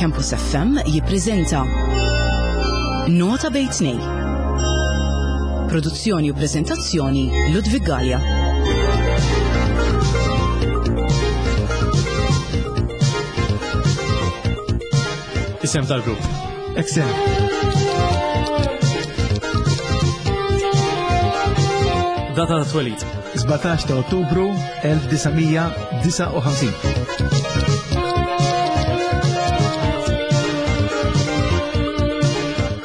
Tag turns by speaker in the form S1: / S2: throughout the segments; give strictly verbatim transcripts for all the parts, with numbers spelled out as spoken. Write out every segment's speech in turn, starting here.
S1: Campus F M jippreżenta Nota bejn tnejn. Produzzjoni u preżentazzjoni Ludwig Galea.
S2: Isem tal-grupp.
S3: Excel.
S2: Data ta' twelid.
S3: sbatax ta' Ottubru elf disa' mija disa' u ħamsin.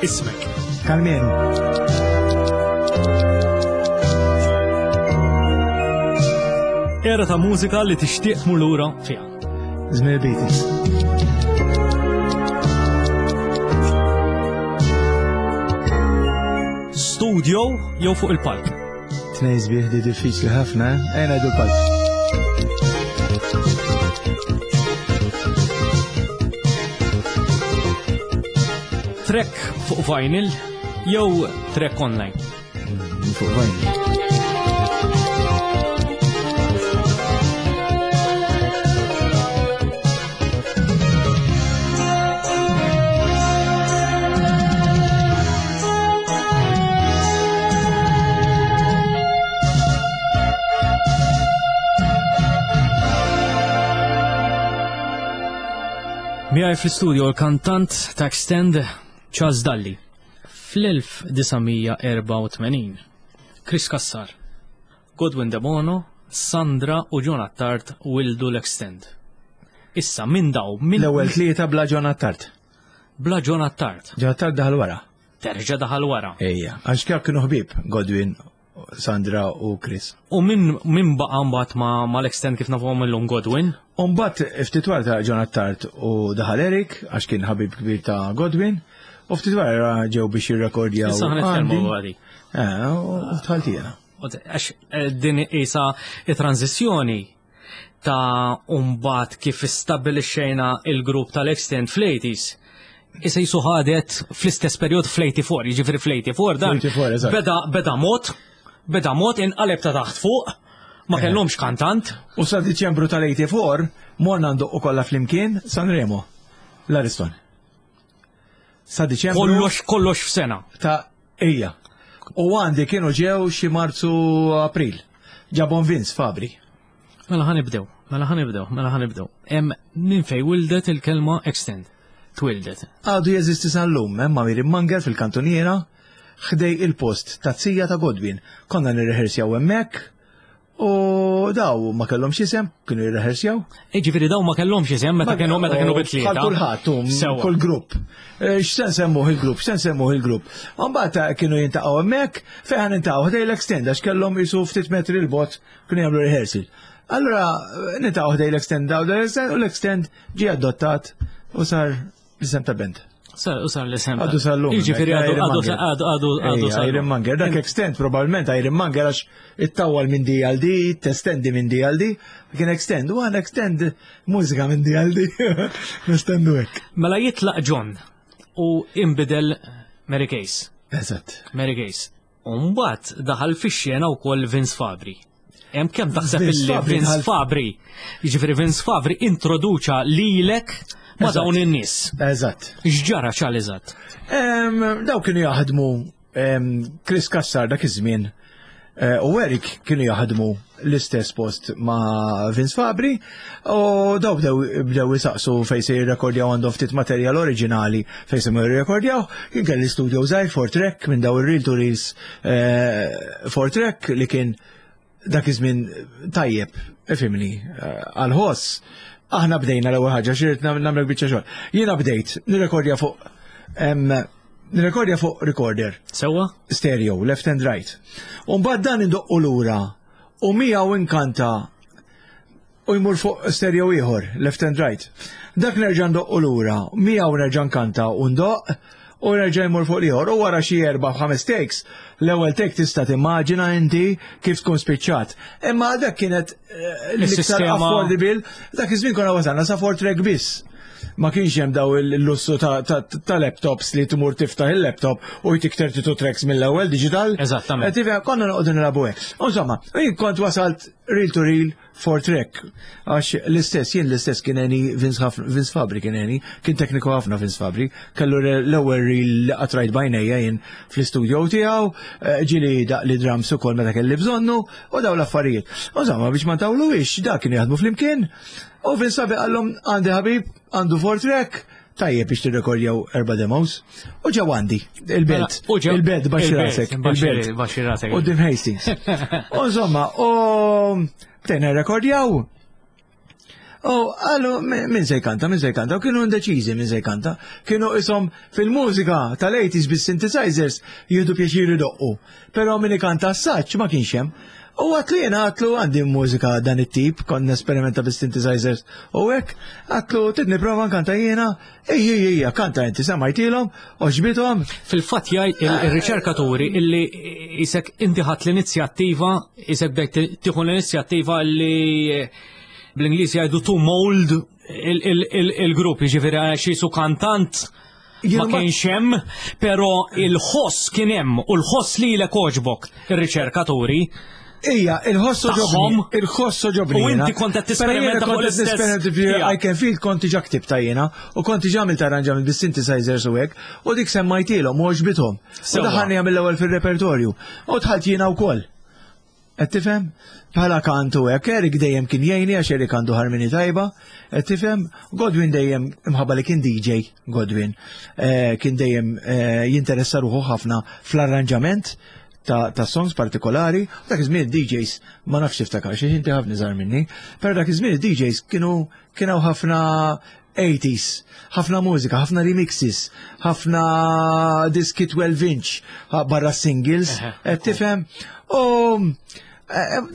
S2: Ismek.
S3: Karmenu.
S2: Era ta' mużika li tixtieq tmur lura fiha.
S3: Żmien il-Beatles.
S2: Studio jew fuq il-palk?
S3: Tnejn sbieħ di diffiċli ħafna, eh? Ejja ngħidu l-palk.
S2: Track fuq vinyl jew track online?
S3: Mm, fuq vinyl.
S2: Miegħi fl-istudio l-kantant ta' Extend Charles Dalli. Fl-elf disa' mija erba' u tmenin, Chris Cassar, Godwin Debono, Sandra u John Attard wildu l-Extend. Issa minn daw, minn
S3: L-ewwel tlieta bla John Attard.
S2: Bla John Attard.
S3: John Attard daħal wara.
S2: Terġa' daħal wara.
S3: Ejja, għax kif kienu ħbieb Godwin, Sandra u Chris.
S2: U min, min baqa' mbagħad ma-, mal-Extend kif nafuhom illum Godwin?
S3: U mbagħad ftit wara ta' John Attard u daħal Eric għax kien ħabib kbir ta' Godwin. U ftit wara ġew biex jirrekordjaw.
S2: Issa ħa nitkellmu
S3: Andy.
S2: dwar dik.
S3: Eh, u tħalt jiena.
S2: U t-, għax, eh, din isa it-tranzizzjoni ta' mbagħad kif istabbilixxejna il-grupp tal-Extend fl-eighties. Issa jisu ħadet fl-istess perjod fl-eighty-four, jiġifieri fl-eighty-four dan
S3: Fl-eighty-four, eżatt.
S2: beda, beda mod, beda mod inqaleb ta' taħt fuq, ma
S3: Eh.
S2: kellhomx kantant.
S3: U sa Diċembru tal-eighty-four morna ndoqqu kollha flimkien Sanremo, l-Ariston. Sa Diċembru
S2: Kollox, kollox f'sena.
S3: Ta' ejja. U għandi kienu ġew xi Marzu April. Ġabon Vince Fabri.
S2: Mela ħa nibdew, mela ħa nibdew, mela ħa nibdew. Hemm minn fejn wildet il-kelma Extend. Twildet.
S3: Għadu jeżisti sal-lum, hemm ma' Miri Manger fil-kantuniera, ħdej il-post ta' zija ta' Godwin. Konna nirrehersjaw hemmhekk u daw ma kellhomx isem, kienu jirrehersjaw.
S2: Jiġifieri daw ma kellhomx isem meta
S3: Ma-
S2: kienu, meta kienu
S3: u
S2: bit-tlieta.
S3: Bħal kulħadd, u
S2: Sewwa.
S3: kull grupp. Eh, x'se nsemmuh il-grupp, x'se nsemmuh il-grupp. U mbagħad kienu jintaqgħu hemmhekk, fejn ħa nintaqgħu ħdej l-Extend għax kellhom jisu ftit metri l-bot kienu jagħmlu rehearsal. Allura nintaqgħu ħdej l-Extend daw l-Extend u l-Extend ġie adottat u sar l-isem ta' band.
S2: Sar, u sar l-isem ta'
S3: Għadu sal-lum,
S2: Jiġifieri
S3: hemmhekk,
S2: għadu,
S3: Iron
S2: għadu
S3: Manger.
S2: sa-, għadu, għadu, għadu
S3: Ejja,
S2: sal-lum.
S3: Iron Manger. Dak Extend probabbilment Iron Manger għax ittawwal minn D għal D, testendi minn D għal D, kien Extend, u għan Extend mużika minn D għal D. Nestendu hekk.
S2: Mela jitlaq John u imbidel Mary Case.
S3: Eżatt.
S2: Mary Case. U mbagħad daħal fix-xena wkoll Vince Fabri. Hemm kemm taħseb
S3: Vince
S2: illi
S3: Fabri
S2: Vince
S3: daħal
S2: Fabri, jiġifieri Vince Fabri introduċa lilek ma'
S3: Eżatt.
S2: dawn in-nies.
S3: Eżatt.
S2: X'ġara ċal eżatt?
S3: Em, daw kienu jaħdmu, em, Chris Cassar dak iż-żmien, eh, u Eric kienu jaħdmu l-istess post ma' Vince Fabri u daw bdew, bdew jisaqsu fejn se jirrekordjaw għandhom ftit materjal oriġinali fejn se jirrekordjaw. Kien kelli studio żgħir four track minn daw ir-reel to reels, eh, four track li kien dak iż-żmien tajjeb, ifhimni, eh, għal-ħoss. Aħna bdejna l-ewwel ħaġa, xi rrid nagħmel biċċa xogħol. Jiena bdejt nirrekordja fuq, em, nirrekordja fuq recorder.
S2: Sewwa?
S3: Stereo, left and right. U mbagħad dan indoqqu lura u miegħu inkanta u jmur fuq stereo ieħor, left and right. Dak nerġa' ndoqqu lura, miegħu nerġa' nkanta u ndoqq u nerġa' jmur fuq l-ieħor. U wara xi erba' ħames takes, l-ewwel take tista' timmaġina inti kif tkun spiċċat. Imma dak kienet, eh, l-iktar
S2: Is-sistema
S3: affordable, dak iż-żmien konna wasalna sa four track biss. Ma kienx hemm daw il-lussu ta', ta', ta' laptops li tmur tiftaħ il-laptop u jtik thirty-two tracks mill-ewwel digital.
S2: Eżattament.
S3: Eh, tifhem, konna noqogħdu nilagħbu hekk. Insomma, jien kont wasalt reel to reel four track. Għax l-istess, jien l-istess kien għeni Vince, Vince Fabri kien għeni, kien tekniku ħafna Vince Fabri, kellu l-ewwel reel li qatt rajt b'għajnejja jien fl-istudio tiegħu, eh, ġieli daqq li drums ukoll meta kelli bżonnu, u daw l-affarijiet. U insomma biex ma ntawluhiex, da kienu jaħdmu flimkien, u Vince Fabri qallhom għandi ħabib, għandu four track, tajjeb biex tirrekordjaw erba' demos, u ġew għandi, il-belt,
S2: Mela, u ġew-
S3: il-belt baxxi
S2: il-belt,
S3: rasek,
S2: baxxi-
S3: il-belt.
S2: baxxi rasek.
S3: U Dim Hastings. U insomma, u bdejna rekordjaw. U għallu, min se jkanta, min se jkanta, u kienu indeċiżi min se jkanta. Kienu isom fil-mużika tal-eighties bis-synthesizers jieħdu pjaċir idoqqu. Però min ikanta s-saċ ma kienx hemm. U għedtlu jiena għedtlu għandi mużika dan it-tip, kont nesperimenta bis-synthesizers u hekk, għedtlu trid nipprova nkanta jiena, ejja, ejja, kanta inti, semmajtilhom, għoġbithom.
S2: Fil-fatt jgħid il-riċerkaturi illi isek inti ħadt l-inizjattiva, isek bdejt tieħu l-inizjattiva illi bl-Ingliż jgħidu to mold il-grupp, jiġifieri għax jisu kantant ma kienx hemm, però il-ħoss kien hemm u l-ħoss lilek għoġbok ir-riċerkaturi.
S3: Ija, il-ħoss għoġobni, il-ħoss għoġobni.
S2: U inti kont qed tisperimenta fuq l-istess.
S3: I can feel kont diġà ktibta jiena u kont diġà għamilt arranġament bis-synthesizers u hekk, u dik semmajtilhom u għoġbithom. U daħalni mill-ewwel fil-repertorju. U dħalt jiena wkoll. Qed tifhem? Bħala kantu hekk, Erik dejjem kien jgħinni għax Erik għandu harmony tajba, qed tifhem? Godwin dejjem imħabba li kien D J, Godwin, kien dejjem jinteressa ruħu ħafna fl-arranġament ta', ta' songs partikolari. Dak iż-żmien D Js ma nafx tiftakar xi inti ħafna żgħar minni, però dak iż-żmien D Js kienu kienu ħafna eighties, ħafna mużika, ħafna remixes, ħafna diski twelve inch barra singles, qed tifhem? U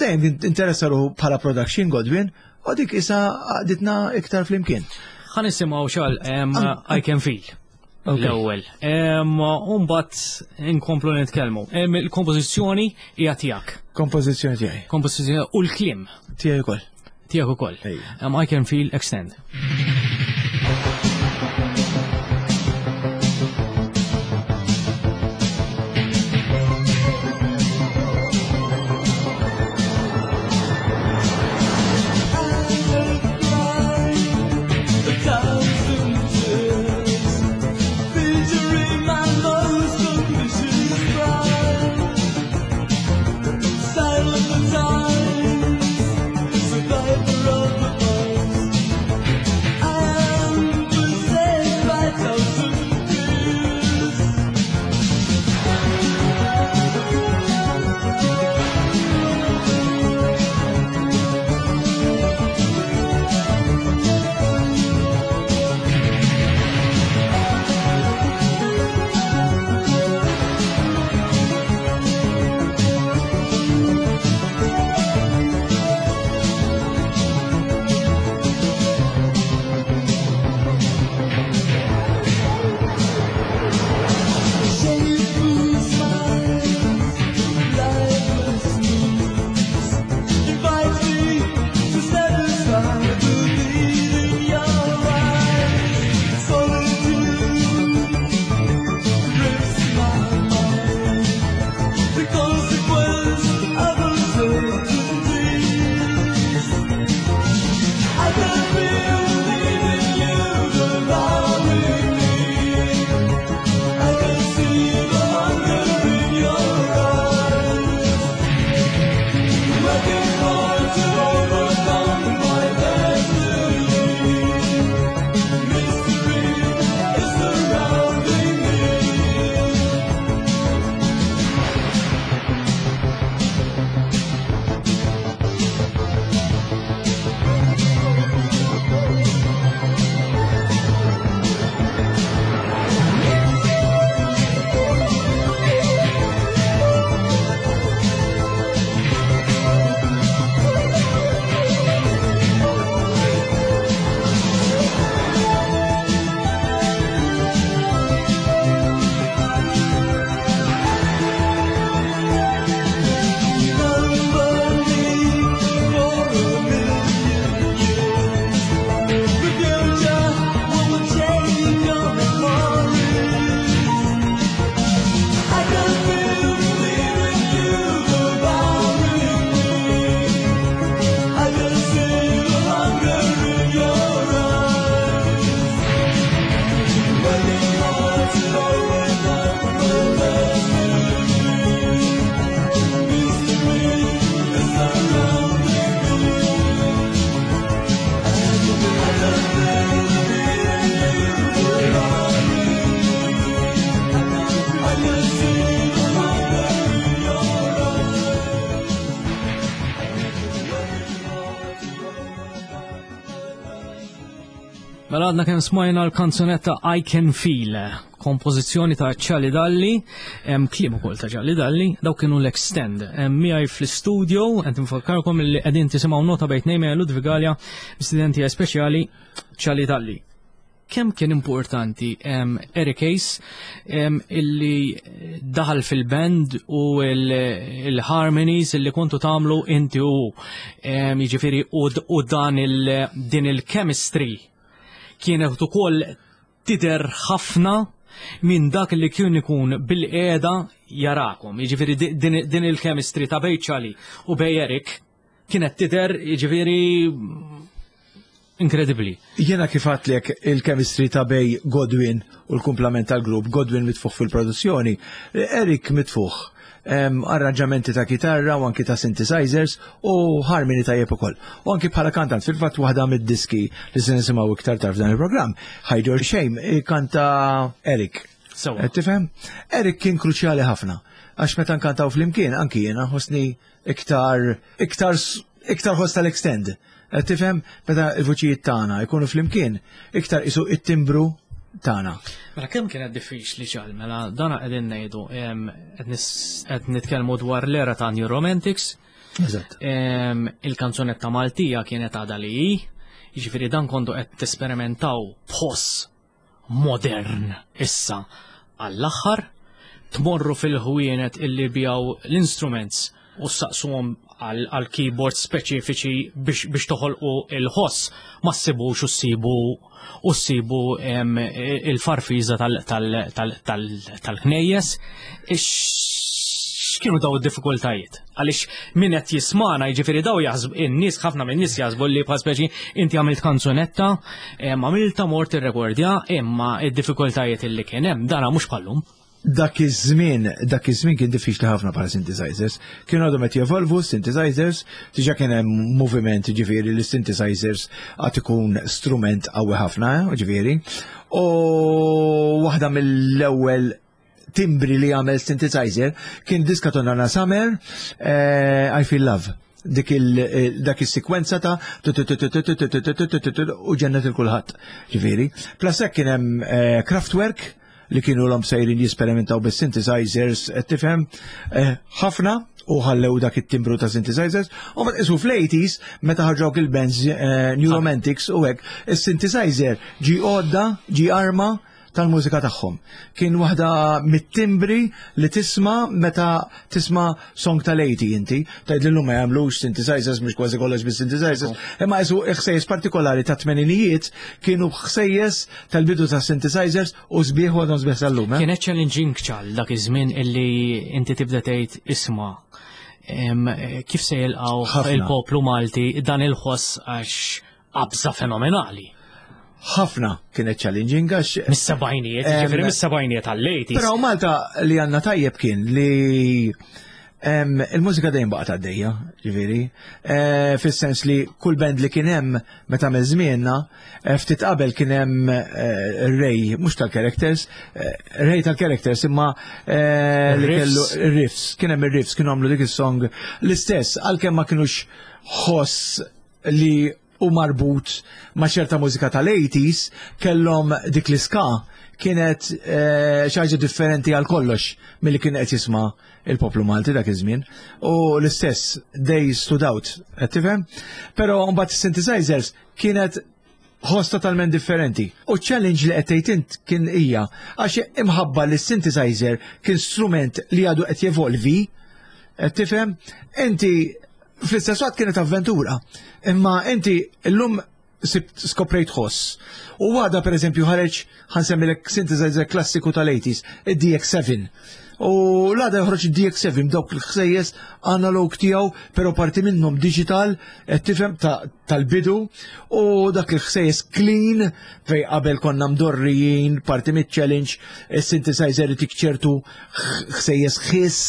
S3: dejjem interessa ruħu bħala production Godwin, u dik isa għaditna iktar flimkien.
S2: Ħa nisimgħu xal, I Can Feel. L-ewwel. U mbagħad inkomplu nitkellmu. Il-kompożizzjoni hija tiegħek.
S3: Kompożizzjoni tiegħi.
S2: Kompożizzjoni u l-kliem.
S3: Tiegħi wkoll.
S2: Tiegħek ukoll. I Can Feel Extend.
S4: Survivor of the past.
S2: Mela għadna kemm smajna l-kanzunetta I Can Feel, kompożizzjoni ta' Charlie Dalli, hemm kliem ukoll ta' Charlie Dalli, daw kienu l-Extend. Hemm miegħi fl-studio, qed nfakkarkom li qegħdin tisimgħu Nota Bejn Tnejn ma' Ludwig Galea, studenti speċjali Charlie Dalli. Kemm kien importanti em, Eric Ace em, illi daħal fil-band u il-harmonies illi kontu tagħmlu inti u em, jiġifieri u, u dan il, din il-chemistry kienet ukoll tidher ħafna minn dak li kien ikun bil-qiegħda jarakom. Jiġifieri di- din, din il-chemistry ta' bejn Charlie u bejn Eric kienet tidher, jiġifieri, inkredibbli.
S3: Jiena kif għedtlek, il-chemistry ta' bejn Godwin u l-kumplament tal-grupp, Godwin mitfuħ fil-produzzjoni, Eric mitfuħ em, arranġamenti ta' kitarra u anki ta' synthesizers u harmony tajjeb ukoll. U anki bħala kantant, fil-fatt waħda mid-diski li se nisimgħu iktar tard f'dan il-programm, Hide Your Shame, kanta Eric.
S2: Sewa.
S3: Eh, Tifhem? Eric kien kruċjali ħafna. Għax meta nkantaw flimkien, anki jiena ħossni iktar, iktar, iktar ħoss tal-Extend. Eh, Tifhem? Meta il-vuċijiet tagħna jkunu flimkien, iktar isu it-timbru tagħna.
S2: Mela kemm kienet diffiċli ċal, mela dana qegħdin ngħidu em, qed nis- qed nitkellmu dwar l-era ta' New Romantics,
S3: Eżatt.
S2: em, il-kanzunetta Maltija kienet għadha li hi, jiġifieri dan kontu qed tesperimentaw b'ħoss modern issa għall-aħħar, tmorru fil-ħwienet illi bijaw l-instruments u saqsuhom għal għal keyboard speċifiċi biex, biex toħolqu il-ħoss, ma ssibux u ssibu u ssibu em, il-farfiża tal-knejjes. X'kienu daw id-diffikultajiet? Għaliex min qed jismana, jiġifieri daw jaħsbu in-nies, ħafna minn nies jaħsbu li bħal speċi inti għamilt kanzunetta, em, għamilta, mort irrekordja, imma id-diffikultajiet illi kien hemm dana mhux bħallum.
S3: Dak iż-żmien, dak iż-żmien kien diffiċli ħafna bħala synthesizers. Kienu għadhom qed jevolvu synthesizers, diġà kien hemm moviment, ġifieri li synthesizers għad ikun strument qawwi ħafna, eh, ġifieri. U waħda mill-ewwel timbri li għamel synthesizer kien diska ta' Donna Summer, eh, I Feel Love. Dik il dak is-sekwenza ta' u ġennet lil kulħadd. Ġifieri. Plus hekk kien hemm eh, Kraftwerk li kienu l sejrin jisperimentaw bis-synthesizers, qed tifhem, eh, ħafna u ħallew dak it-timbru ta' synthesizers. U ma isu fl-eighties meta ħarġu il-bands eh, New Romantics u hekk, is-synthesizer ġi għodda, ġi arma tal-mużika tagħhom. Kien waħda mit-timbri li tisma' meta tisma' song tal-eighty inti. Tgħid li llum ma jagħmlux synthesizers, mhux kważi kollox bis-synthesizers, imma isu ħsejjes partikolari ta' tmeninijiet kienu ħsejjes tal-bidu ta' synthesizers u sbieħ u għadhom sbieħ sal-lum. eh?
S2: Kienet challenging ċal dak iż-żmien illi inti tibda tgħid, isma' em, kif se jilqgħu
S3: Ħafna.
S2: il-poplu Malti dan il-ħoss, għax qabża fenomenali.
S3: Ħafna kienet challenging għax
S2: Mis-sebgħinijiet,
S3: Em,
S2: ġifieri mis-sebgħinijiet għall-eighties.
S3: Però Malta li għandna tajjeb kien li em, il-mużika dejjem baqgħet għaddejja, ġifieri, eh, fis-sens li kull band li kien hemm meta minn żmienna, eh, ftit qabel kien hemm eh, Ray, mhux tal-Characters, eh, Ray tal-Characters, imma eh, li
S2: Riffs.
S3: kellu riffs, kien hemm ir-riffs, kienu għamlu dik is-song l-istess, għalkemm ma kinux ħoss li u marbut ma' ċerta mużika tal-eighties, kellhom dik l-ska kienet eh, xi ħaġa differenti għal kollox milli kien qed jisma' il-poplu Malti dak iż-żmien. U l-istess they stood out, qed tifhem? Però mbagħad synthesizers kienet ħoss totalment differenti. U challenge li qed tgħid int kien hija għax imħabba li synthesizer kien strument li għadu qed jevolvi, qed tifhem? Inti fl-istess waqt kienet avventura. Imma inti llum sibt, skoprejt ħoss. U għada per eżempju ħareġ, ħa nsemmilek synthesizer klassiku tal-eighties, id-D X seven. U l-għada joħroġ id-D X seven dawk il-ħsejjes analog tiegħu, pero parti minnhom digital, qed tifhem, tal-bidu, u dak il-ħsejjes clean, fej qabel konna mdorrijin, parti mit-challenge, il-synthesizer tik ċertu ħsejjes ħiss,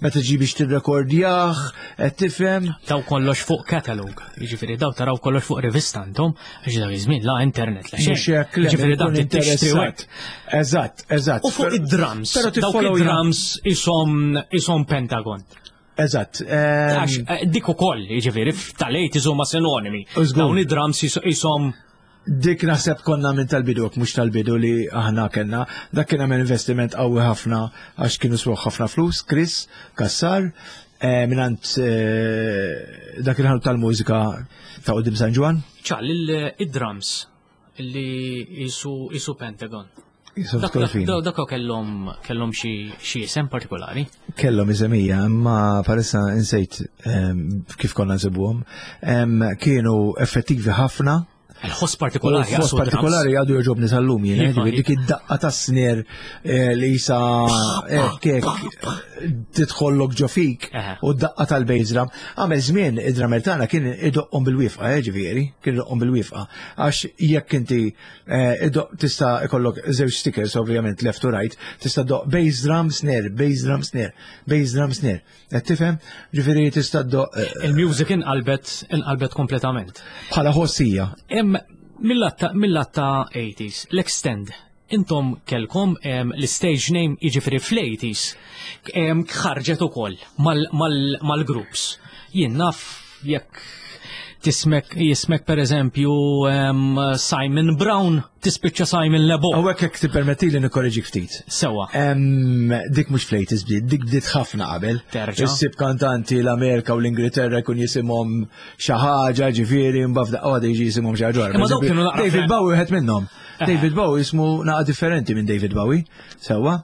S3: meta ġi biex tirrekordjah, qed tifhem?
S2: Daw kollox fuq catalog, jiġifieri daw taraw kollox fuq rivista intom, għax dak iż-żmien la internet la xejn.
S3: Mhux hekk, le,
S2: Jiġifieri
S3: ikun
S2: dak tixtri u hekk.
S3: interessat. Eżatt, eżatt.
S2: U fuq id-drums,
S3: Però
S2: dawk
S3: tiffollow
S2: id-drums isom isom Pentagon.
S3: Eżatt. ehm,
S2: Għax eh, dik ukoll, jiġifieri tal-eighties huma sinonimi.
S3: Żgur.
S2: Dawn id-drums isom
S3: Dik naħseb konna minn tal-bidu, mhux tal-bidu li aħna kellna. Dak kien għamel investiment qawwi ħafna għax kienu swew ħafna flus, Chris Cassar, eh, mingħand eh, dak il-ħanut tal-mużika ta' quddiem San Ġwann.
S2: Ċal, il-drums li jisu jisu Pentagon.
S3: Jisu
S2: Dak
S3: fil.
S2: dak- dak kellhom kellhom xi xi isem partikolari.
S3: Kellhom iżemija, imma parissa insejt em, kif konna nsibuhom. Em, Kienu effettivi ħafna.
S2: Il-ħoss partikolari.
S3: Ħoss
S2: jaqsu drums.
S3: partikolari għadu joġobni sal-lum jien, eh,
S2: Iva,
S3: ġifieri dik id-daqqa ta' snare eh, li jisa hekk hekk tidħollok ġo fik
S2: Eħe.
S3: u d-daqqa tal-bass drum. Għamel żmien id-drummer tagħna kien idoqqhom bil-wifqa, eh, ġifieri, kien idoqqhom bil-wifqa. Għax jekk inti eh, idoq tista' ikollok żewġ stickers ovvjament left to right, tista' doq bass drum snare, bass drum snare, bass drum snare. Qed tifhem? Ġifieri tista' doq eh,
S2: Il-music inqalbet inqalbet kompletament.
S3: bħala ħossija.
S2: Em mill-att mill-att ta' eighties, l-Extend, intom kelkom em, l-stage name, jiġifieri fl-eighties, em, ħarġet ukoll mal-groups. Jien naf jekk tismek jismek per eżempju em, Simon Brown, tispiċċa Simon Lebo.
S3: Hawnhekk jekk tippermetti li nikkoreġik ftit.
S2: Sewa.
S3: Em, dik mhux fl-eighties bdiet, dik bdiet ħafna qabel.
S2: Terġa'.
S3: Issib kantanti l-Amerika u l-Ingilterra jkun jisimhom xi ħaġa, ġifieri, mbagħad f'daqqa waħda jiġi jisimhom xi ħaġa oħra.
S2: Imma dawk kienu naqra
S3: David
S2: fl-
S3: Bowie wieħed minnhom. David Bowie jismu naqa differenti minn David Bowie. Sewwa.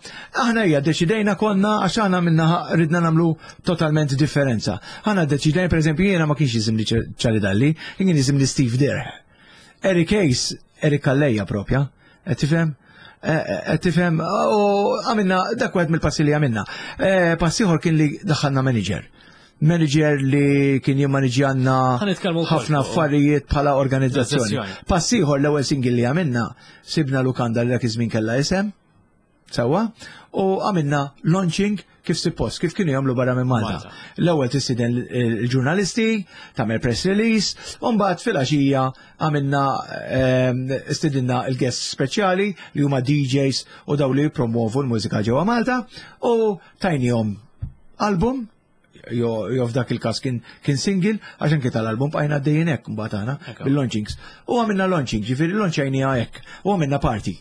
S3: Aħna hija deċidejna konna għax aħna minna ridna nagħmlu totalment differenza. Aħna deċidejna, pereżempju, jiena ma kienx jisimni Charlie Dalli, kien jisimni Steve Derr. Eric Ace, Eric Calleja propja, qed tifhem? Qed tifhem, u għamilna, dak wieħed mill-passi li għamilna. Eh, Pass ieħor kien li daħħalna manager. Manager li kien jimmaniġjanna
S2: Ħa nitkellmu wkoll
S3: ħafna
S2: fuq-
S3: affarijiet bħala organizzazzjoni.
S2: Organizzazzjoni.
S3: Pass ieħor, l-ewwel single li għamilna, sibna lukanda li dak iż-żmien kellha isem, sewwa, u għamilna launching kif suppost, kif kienu jagħmlu barra minn Malta.
S2: Malta.
S3: L-ewwel tistieden il-ġurnalisti, tagħmel press release, u mbagħad filgħaxija għamilna ehm, stidinna il-guest speċjali li huma D Js u daw li jippromovu l-mużika ġewwa Malta u tajnihom album jo, jo f'dak il-każ kien, kien single, għax anke tal-album bqajna għaddejjin hekk mbagħad aħna
S2: Ekku.
S3: bil-launchings. U għamilna launching, ġifieri launchajniha hekk, u għamilna party.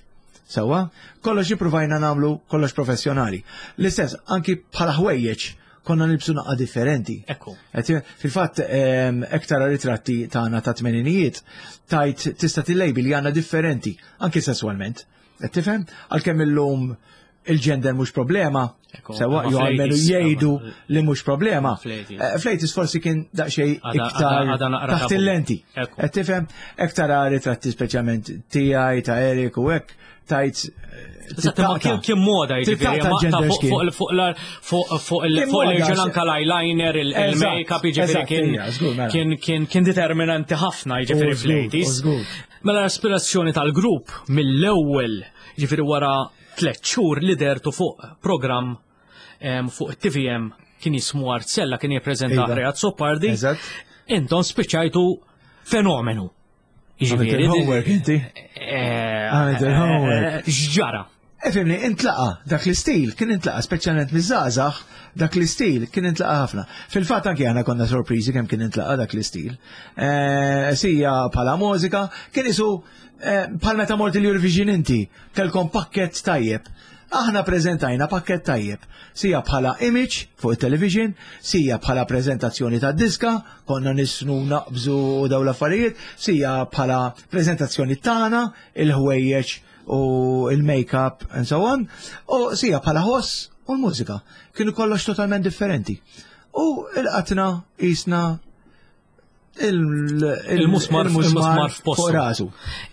S3: Sewwa, kollox ippruvajna nagħmlu kollox professjonali. L-istess, anki bħala ħwejjeġ konna nilbsu naqra differenti.
S2: Ekku.
S3: Qed- Fil-fatt, em, ektar ritratti tagħna ta' tmeninijiet, tajt tista' tillejbi li għandna differenti, anki sessualment. Qed tifhem? Għalkemm illum il-gender mhux problema,
S2: Ekku,
S3: sewwa,
S2: ma
S3: jew almenu
S2: fl-eighties,
S3: jgħidu
S2: ma-
S3: li mhux problema.
S2: Fl-eighties.
S3: Eh, Fl-eighties forsi kien daqsxejn
S2: Għada-
S3: iktar
S2: għada- għada naqra
S3: taħt
S2: tabu.
S3: il-lenti.
S2: Ekku.
S3: Qed tifhem? Ektar ritratti speċjalment tiegħi, ta' Erik u hekk, tajt eh,
S2: Eżatt, ma kien kien moda jiġifieri,
S3: Titaqta'
S2: ma ta'
S3: gender
S2: fuq
S3: skin.
S2: fuq fuq la- fuq fuq il
S3: Kien
S2: fuq
S3: moda,
S2: l-irġiel
S3: għax-
S2: anka l-eyeliner, il-
S3: Eżatt,
S2: il-make-up, jiġifieri
S3: eżatt,
S2: kien
S3: ija, żgur, mela.
S2: kien kien kien determinanti ħafna jiġifieri
S3: U żgur,
S2: fl-eighties.
S3: u żgur.
S2: Mela l-aspirazzjoni tal-grupp mill-ewwel, jiġifieri wara tliet xhur li dertu fuq programm em, fuq T V M kien jismu Arzella, kien jippreżenta
S3: Iva.
S2: Ray Azzopardi.
S3: Eżatt.
S2: Intom spiċċajtu fenomenu.
S3: Għamilt il-homework inti.
S2: Eh,
S3: Għamilt il-homework.
S2: eh, X'ġara?
S3: Efimni, intlaqa, dak l-istil kien intlaqa, speċjalment miż-żgħażagħ, dak l-istil kien intlaqa ħafna. Fil-fatt anki aħna konna sorpriżi kemm kien intlaqa dak l-istil. Eh, Sija bħala mużika, kien isu eh, bħal meta mort il-Eurovision inti, kellkom pakket tajjeb. Aħna preżentajna pakket tajjeb, sija bħala image fuq il-television, sija bħala prezentazzjoni ta' diska, konna nisnu naqbżu u daw l-affarijiet, sija bħala prezentazzjoni tagħna, il-ħwejjeġ u il-make-up and so on, u sija bħala ħoss u l-mużika. Kienu kollox totalment differenti. U il-qatna jisna
S2: Il-musmar il-musmar f'postu.
S3: fuq rasu.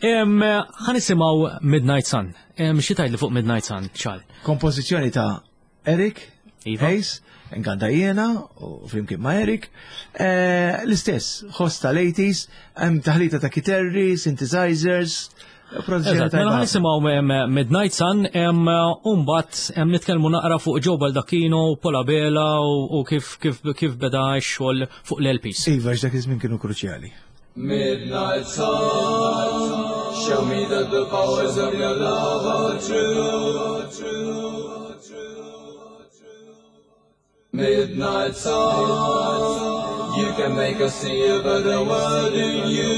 S2: Em, Ħa nisimgħu Midnight Sun. Em, Xi tgħidli fuq Midnight Sun, ċal?
S3: Kompożizzjoni ta' Eric
S2: Iva.
S3: Hayes, nkanta jiena u flimkien ma' Eric. Eh, L-istess, ħoss tal-eighties, hemm taħlita ta' kiterri, synthesizers, produzzjoni
S2: Eżatt, mela
S3: tajba.
S2: ħa nisimgħu em, Midnight Sun, em, u mbagħad em, nitkellmu naqra fuq Joe Baldacchino, Paul Abela u u kif kif kif beda x-xogħol fuq l-L Ps.
S3: Iva, x'dak iż-żmien kienu kruċjali.
S4: Midnight sun, show me that the powers of your love are true. True, true, true. Midnight sun, you can make us see a better world in you.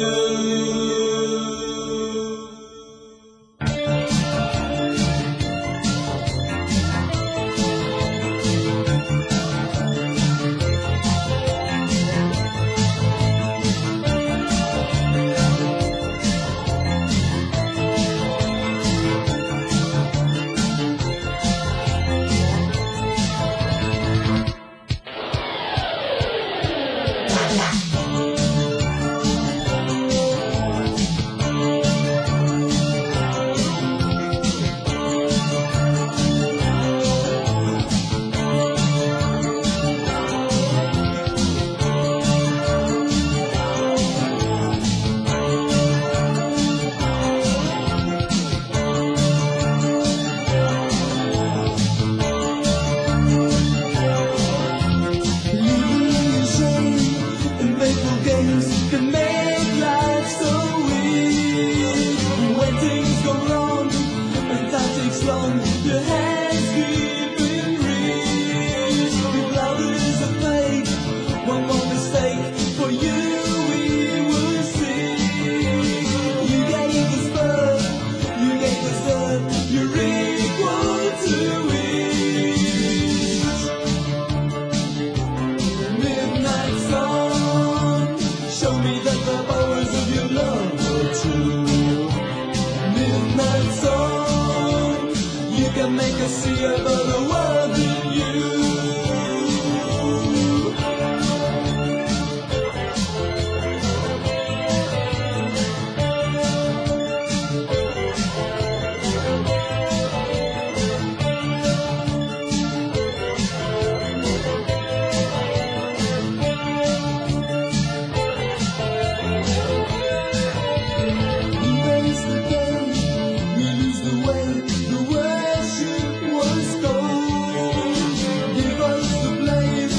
S4: Midnight sun, you can make us see a better world in you. There's the day we lose the way, the worship was cold. Give us the blame,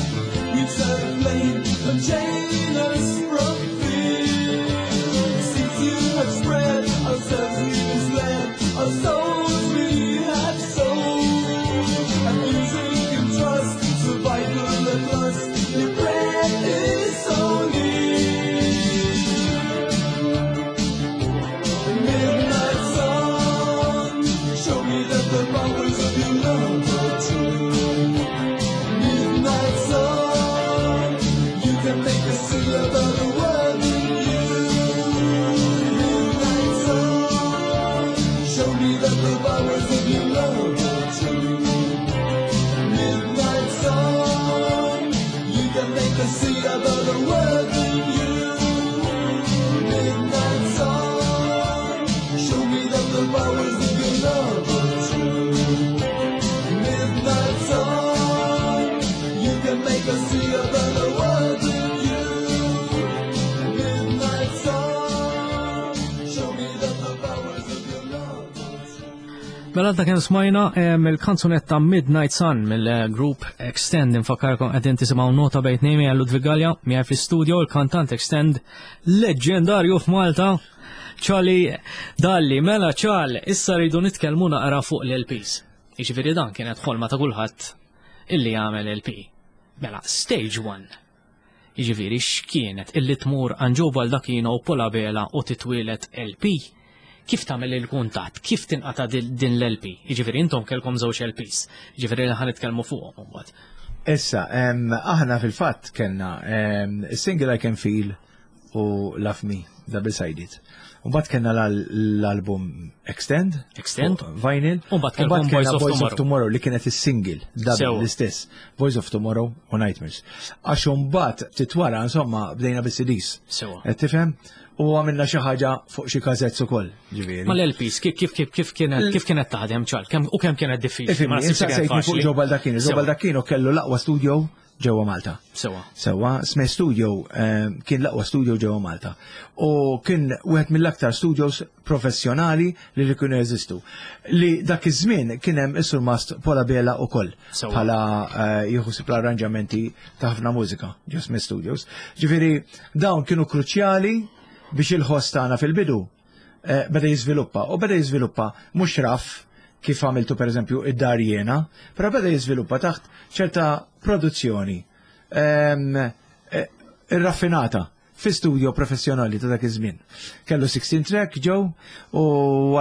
S4: we turn flame and chain us from fear. Since you have spread ourselves we misled, our souls we have sold. And music and trust, survival at last, the breath is so near. Midnight sun, show me that the powers of your love are true. Midnight sun, you can make us see a better world in you. Midnight sun, show me that the powers of your love are true. Midnight sun, you can make us see a better world in you. Midnight sun, show me that the powers of your love are true. Midnight sun, you can make us see a better world in you. Midnight sun, show me that the powers of your love are true.
S2: Mela għadna kemm smajna em, il-kanzunetta Midnight Sun mill-grupp Extend. Infakkarkom qegħdin tisimgħu Nota Bejn Tnejn miegħi Ludwig Galea, miegħi fl-studio il-kantant Extend leġġendarju f'Malta, Charlie Dalli. Mela Charles, issa rridu nitkellmu naqra fuq l-L Ps. Jiġifieri dan kienet ħolma ta' kulħadd illi jagħmel L P. Mela, stage one. Jiġifieri x'kienet illi tmur għand Joe Baldacchino u Paul Abela u titwielet L P? Kif tagħmel il-kuntatt? Kif tinqata' din din l-L P? Jiġifieri intom kellkom żewġ L Ps. Jiġifieri li ħa nitkellmu fuqhom imbagħad.
S3: Issa, em, aħna fil-fatt kellna em, single I Can Feel u Love Me, double sided. Mbagħad kellna l-album Extend.
S2: Extend.
S3: Fuq vinyl.
S2: U mbagħad kellkom
S3: Mbagħad kellna
S2: Voice of
S3: Voice of
S2: Tomorrow.
S3: Tomorrow li kienet is-single, double
S2: Sewa.
S3: l-istess. Voice of Tomorrow u Nightmares. Għax mbagħad ftit wara, insomma, bdejna bis-C Ds.
S2: Sewa.
S3: Qed tifhem? U għamilna xi ħaġa fuq xi cassettes ukoll, ġifieri.
S2: Ma l-L Ps, kif kif kif kif kienet kif kienet taħdem, Charles? Kemm u kemm kienet diffiċli? Ma
S3: Ifhimni,
S2: naħsibx
S3: issa
S2: li kienet
S3: sejtni fuq
S2: faċli.
S3: Joe Baldacchino. Joe
S2: Sewa.
S3: Baldacchino kellu l-aqwa studio ġewwa Malta.
S2: Sewa.
S3: Sewa, Sme Studio eh, kien l-aqwa studio ġewwa Malta. U kien wieħed mill-aktar studios professjonali li li kienu jeżistu. Li dak iż-żmien kien hemm is-surmast Paul Abela ukoll
S2: Sewa.
S3: bħala eh, jieħu ħsieb l-arranġamenti ta' ħafna mużika ġo Sme Studios. Ġifieri dawn kienu kruċjali biex il-ħoss tagħna fil-bidu eh, beda jiżviluppa u beda jiżviluppa mhux raf kif għamiltu per eżempju id-dar jiena, però beda jiżviluppa taħt ċerta produzzjoni ehm, eh, irraffinata fi studio professjonali ta' dak iż-żmien. Kellu sixteen track ġew u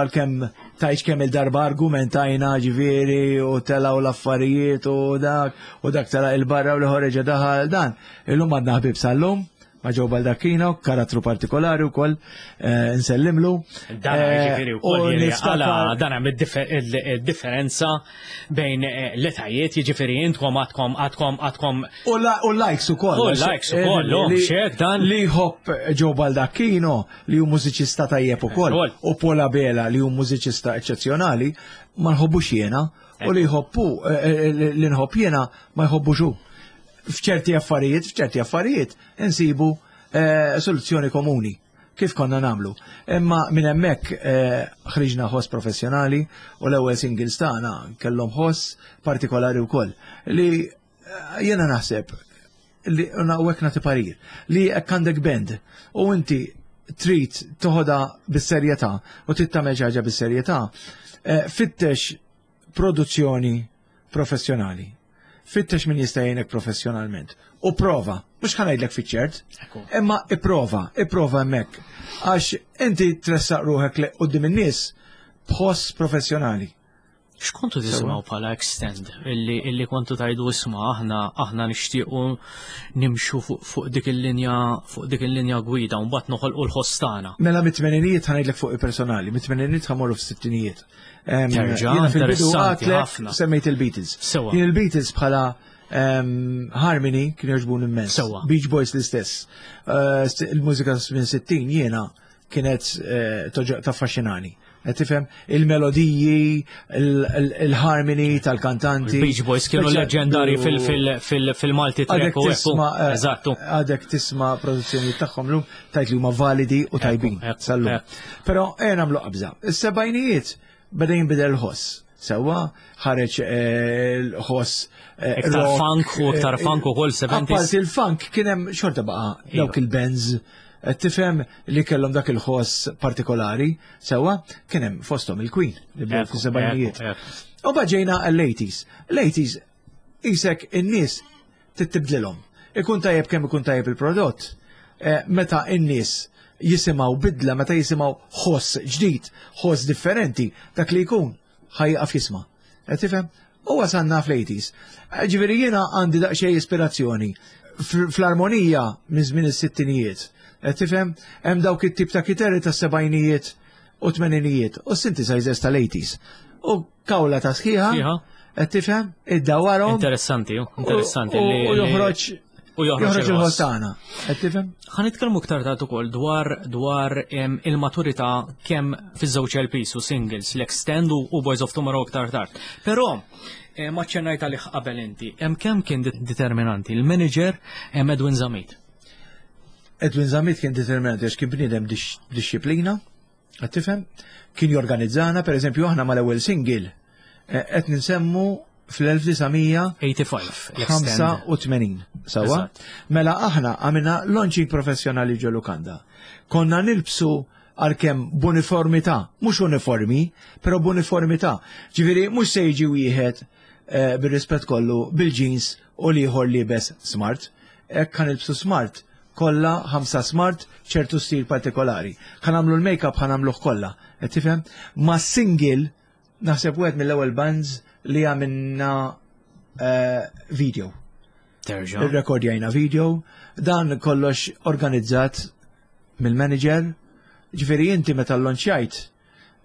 S3: għalkemm tajx kemm il-darba argumentajna, ġifieri, u telaw l-affarijiet u dak u dak tela il-barra u l-ħoreġa daħal dan. Illum għadna ħbib sal-lum ma' Joe Baldacchino, karattru partikolari wkoll, eh, nsellimlu.
S2: Dan
S3: Eh,
S2: ġifieri
S3: u
S2: wkoll jiri
S3: niftakar-
S2: għala dan hemm id-differenza bejn eh, l-etajiet, jiġifieri intkom għadkom għadkom għadkom
S3: U la- u likes u koll.
S2: U likes ukoll,
S3: Li-
S2: oh, xek dan.
S3: Li jħobb Joe Baldacchino, li hu mużiċista tajjeb ukoll,
S2: Ukoll.
S3: u Paul Abela, li hu mużiċista eċċezzjonali, ma nħobbux jiena, u li jħobbu, eh, eh, li nħobb jiena ma jħobbux hu. F'ċerti affarijiet, f'ċerti affarijiet, insibu eh, soluzzjoni komuni kif konna namlu. Imma minn hemmhekk eh, ħriġna ħoss professjonali u l-ewwel singles tagħna kellhom ħoss partikolari wkoll li eh, jiena naħseb li hawnhekk nagħti parir li jekk għandek band u inti trid toħodha bis-serjetà u trid tagħmel xi ħaġa bis-serjetà, eh, fittex produzzjoni professjonali. Fittex min jista' jgħinek professjonalment. U prova, mhux ħa ngħidlek fiċ-ċert,
S2: Ekku.
S3: imma ipprova, ipprova hemmhekk. Għax inti tressaq ruħek li quddiem in-nies b'ħoss professjonali.
S2: X'kontu tisimgħu bħala Extend illi illi kontu tajdu isma' aħna aħna nixtiequ nimxu fuq fuq dik il-linja fuq dik il-linja gwida u mbagħad noħolqu l-ħoss tagħna.
S3: Mela mit-tmeninijiet, ħa ngħidlek fuq il-personali, mit-tmeninijiet ħa mmorru fis-sittinijiet. Em,
S2: Terġa',
S3: Jiena fil-bidu
S2: interessanti
S3: għedtlek
S2: ħafna.
S3: semmejt il-Beatles.
S2: Sewa.
S3: Jien il-Beatles bħala em, harmony kien jogħġbuni immens.
S2: Sewa.
S3: Beach Boys l-istess. Eh, st- Il-mużika minn sittin jiena kienet eh, toġo- taffaxxinani. Qed tifhem il-melodiji, il- il- il-harmony tal-kantanti.
S2: Il-Beach Boys kienu
S3: Speċa-
S2: leġendari fil- fil- fil- fil-Malti
S3: Għadek
S2: track u ekku.
S3: tisma, eh,
S2: Eżattu.
S3: għadek tisma produzzjoni tagħhom lum tajt li huma validi u tajbin
S2: ekku,
S3: sal-lum.
S2: ekku.
S3: Però ejja nagħmlu qabża. Is-sebgħinijiet beda jinbidel l-ħoss. Sewwa ħareġ eh, l-ħoss eh,
S2: Iktar
S3: rock,
S2: funk u iktar
S3: eh,
S2: funk ukoll seventies.
S3: Apparti il-funk kien hemm xorta baqa'
S2: Iva.
S3: dawk il-bands eh, tifhem li kellhom dak il-ħoss partikolari, sewwa kien hemm fosthom il-Queen li bdew
S2: Ekku,
S3: fis-sebgħinijiet.
S2: ekku, ekku.
S3: U ġejna l-eighties. L-eighties isek in-nies tittibdilhom. Ikun tajjeb kemm ikun tajjeb il-prodott. Eh, meta in-nies jisimgħu bidla, meta jisimgħu ħoss ġdid, ħoss differenti, dak li jkun ħa jieqaf jisma'. Qed tifhem? U wasalna fl-eighties. Eh, Ġifieri jiena għandi daqsxejn ispirazzjoni fl- fl-armonija minn żmien is-sittinijiet. Qed tifhem? Hemm dawk it-tip ta' kitarri tas-sebgħinijiet u tmeninijiet u synthesizers tal-eighties. U kawla ta' sħiħa,
S2: Sħiħa.
S3: qed tifhem? Iddawarhom
S2: Interessanti, interessanti
S3: u
S2: li
S3: u joħroġ
S2: u joħroġ
S3: joħroġ
S2: il-ħoss.
S3: il-ħoss tagħna. Qed tifhem?
S2: Ħa nitkellmu iktar tard ukoll dwar dwar em, il-maturità kemm fiż-żewġ L Ps u singles, l-Extend u u Boys of Tomorrow iktar tard. Però eh, ma ċennajt għalih qabel inti, hemm kemm kien det- determinanti il-manager em, Edwin Zamit.
S3: Edwin Zamit kien determinanti għax kien bniedem dix- disċiplina, qed tifhem? Kien jorganizzana, per eżempju, aħna mal-ewwel single eh, qed ninsemmu fl-elf disa' mija
S2: eighty-five l-Extend.
S3: ħamsa u tmenin. Sewwa?
S2: Eżatt.
S3: Mela aħna għamilna launching professjonali ġo lukanda. Konna nilbsu għalkemm b'uniformità, mhux uniformi, però b'uniformità. Ġifieri mhux se jiġi wieħed eh, bir-rispett kollu bil-jeans u l-ieħor liebes smart. Hekk ħa nilbsu smart, kollha ħamsa smart, ċertu stil partikolari. Ħa nagħmlu l-make-up, ħa nagħmluh kollha. Qed tifhem? Ma single naħseb wieħed mill-ewwel bands li għamilna eh, video.
S2: Terġa'.
S3: Irrekordjajna video, dan kollox organizzat mill-manager. Ġifieri inti meta l-launchjajt,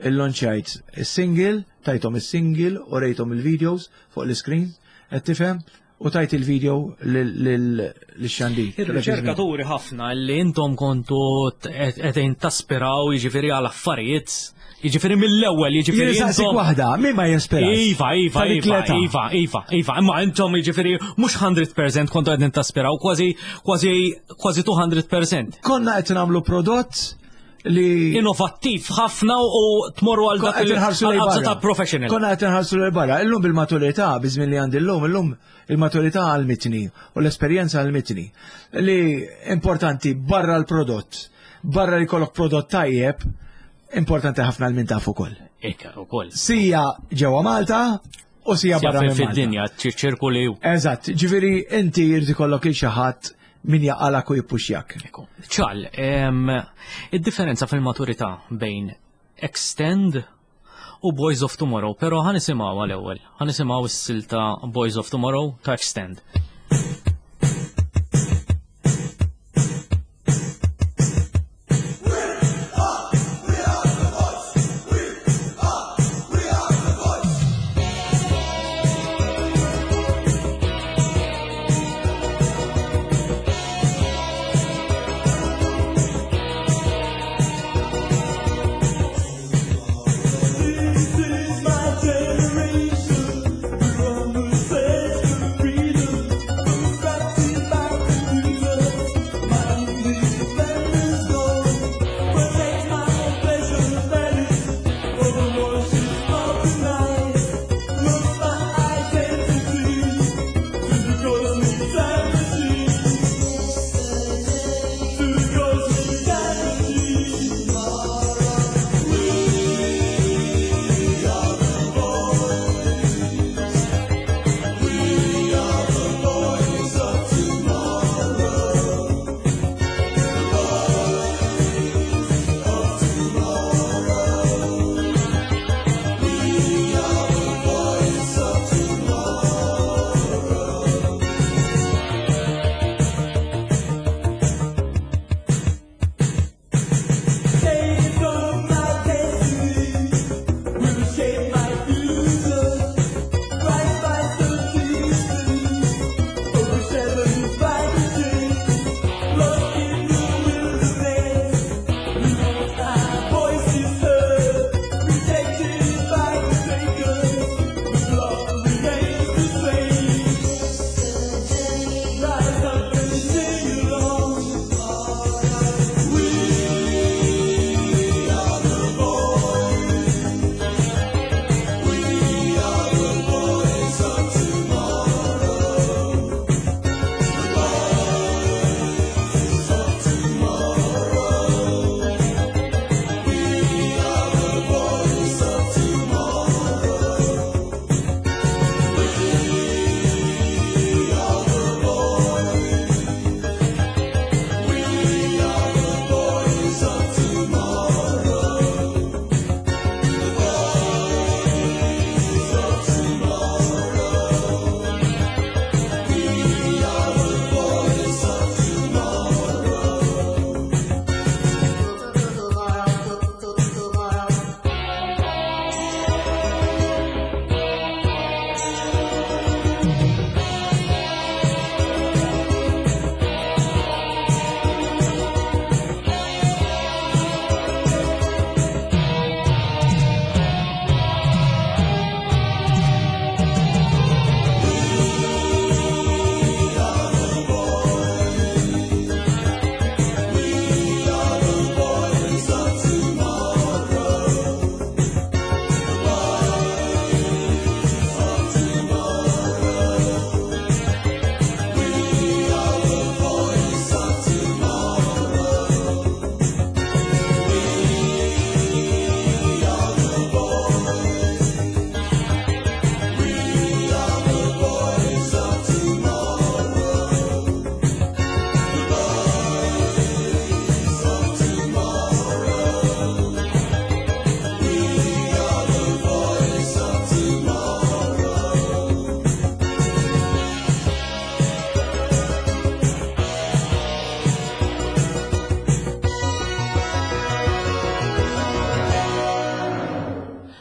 S3: il-launchjajt il-single, tajthom il-single u rejthom il-videos fuq l-screen, qed tifhem, u tajt il-video lil-xandir.
S2: Ir-riċerkaturi ħafna li intom kontu qegħdin taspiraw jiġifieri għal affarijiet, jiġifieri mill-ewwel, jiġifieri
S3: Jien saqsik
S2: intom.
S3: waħda, min ma jispirax?
S2: Iva, iva,
S3: Ta' dik
S2: iva,
S3: l-età.
S2: iva, iva, iva, imma intom jiġifieri mhux mija fil-mija kontu qegħdin taspiraw, kważi kważi kważi mija fil-mija.
S3: Konna qed nagħmlu prodott li
S2: Innovattiv ħafna u tmorru għal dak
S3: Qed inħarsu lejn
S2: il-qabża
S3: barra.
S2: ta' professional.
S3: Konna qed inħarsu lejn barra. Illum bil-maturità, biż-żmien li għandi llum, illum il-maturità għallmitni u l-esperjenza għallmitni li importanti barra l-prodott, barra li jkollok prodott tajjeb, importanti ħafna l-min taf ukoll.
S2: Eka, ukoll.
S3: Sija ġewwa Malta u sija
S2: Sija
S3: barra minn Malta.
S2: fid-dinja, ċirkoli.
S3: Eżatt, ġifieri inti jrid ikollok il xi ħadd min jaqalak u jippuxjak.
S2: Ekku. Ċal, em, id-differenza fil-maturità bejn Extend u Boys of Tomorrow, pero ħa nisimgħu għal-ewwel. Ħa nisimgħu s-silta Boys of Tomorrow ta' Extend.
S4: This is my generation. We're on the search for freedom.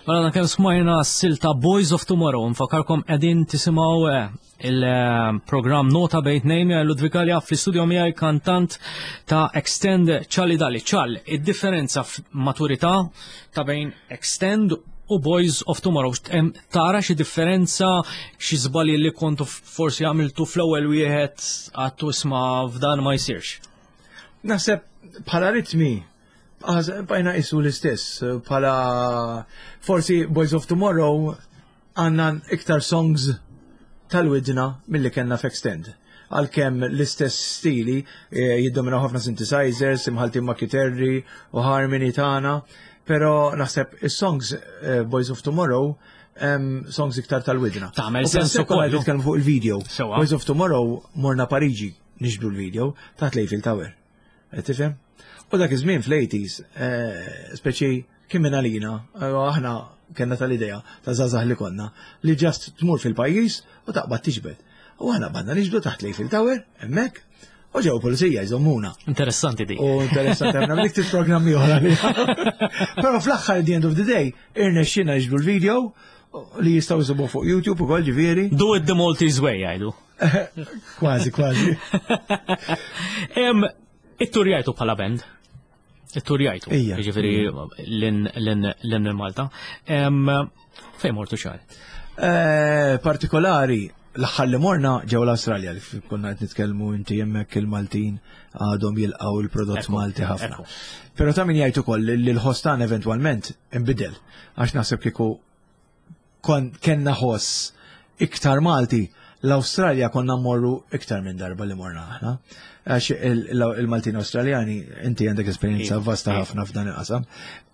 S2: Mela kemm smajna s-silta Boys of Tomorrow, nfakarkom qegħdin tisimgħu eh, il-programm Nota Bejn Tnejn Ludwig Galea, fl-istudio miegħi kantant ta' Extend, Charlie Dalli. Charlie, id-differenza f'maturità ta' bejn Extend u Boys of Tomorrow. Em, Tara xi differenza, xi żbalji li kontu forsi għamiltu fl-ewwel wieħed għattu isma' f'dan ma jsirx?
S3: Naħseb bħala ritmi, bajna isu l-istess, bħala forsi Boys of Tomorrow għandna iktar songs tal-widna mill-li kellna f'Extend. Għalkemm l-istess stili eh, jiddominaw ħafna synthesizers, imħaltin ma' kiterri u harmony tagħna, pero naħseb is-songs eh, Boys of Tomorrow em, songs iktar tal-widna.
S2: Tagħmel
S3: U
S2: sens
S3: plus konna
S2: ukoll.
S3: nitkellmu fuq il-video.
S2: Sewa.
S3: Boys of Tomorrow morna Pariġi niġbdu l-video taħt l-Eiffel Tower. Qed tifhem? U dak iż-żmien fl-eighties, eh, speċi kien minn għalina, eh, aħna kellna tal-idea ta' żgħażagħ li konna li just tmur fil-pajjiż u taqbad tiġbed. U aħna bdejna niġbdu taħt l-Eiffel Tower, hemmhekk, u ġew pulizija jżommuna.
S2: Interessanti di.
S3: U interessanti, għamna dik programmi oħra li. Pero fl-aħħar, at the end of the day, irnexxina niġbdu l-video li jistgħu jsibu fuq YouTube ukoll, ġifieri.
S2: Do it the Maltese way, jgħidu.
S3: Kważi, kważi.
S2: Em, Itturjajtu bħala band. Itturjajtu.
S3: Ija.
S2: Ġifieri lil hinn Malta. Em, Fejn mortu, Charlie?
S3: Eh, Partikolari, l-aħħar li morna ġew l-Awstralja, li konna qed nitkellmu inti, hemmhekk il-Maltin għadhom jilqgħu il-prodott
S2: Ekku,
S3: Malti ħafna.
S2: ekku.
S3: Però ta' min jgħid ukoll li l-ħoss tagħna eventwalment inbidel, għax naħseb kieku kon kellna ħoss iktar Malti, l-Awstralja konna mmorru iktar minn darba li morna aħna. Għax il- il-Maltin Awstraljani, inti għandek esperjenza
S2: Iva,
S3: vasta
S2: iva.
S3: ħafna f'dan il-qasam,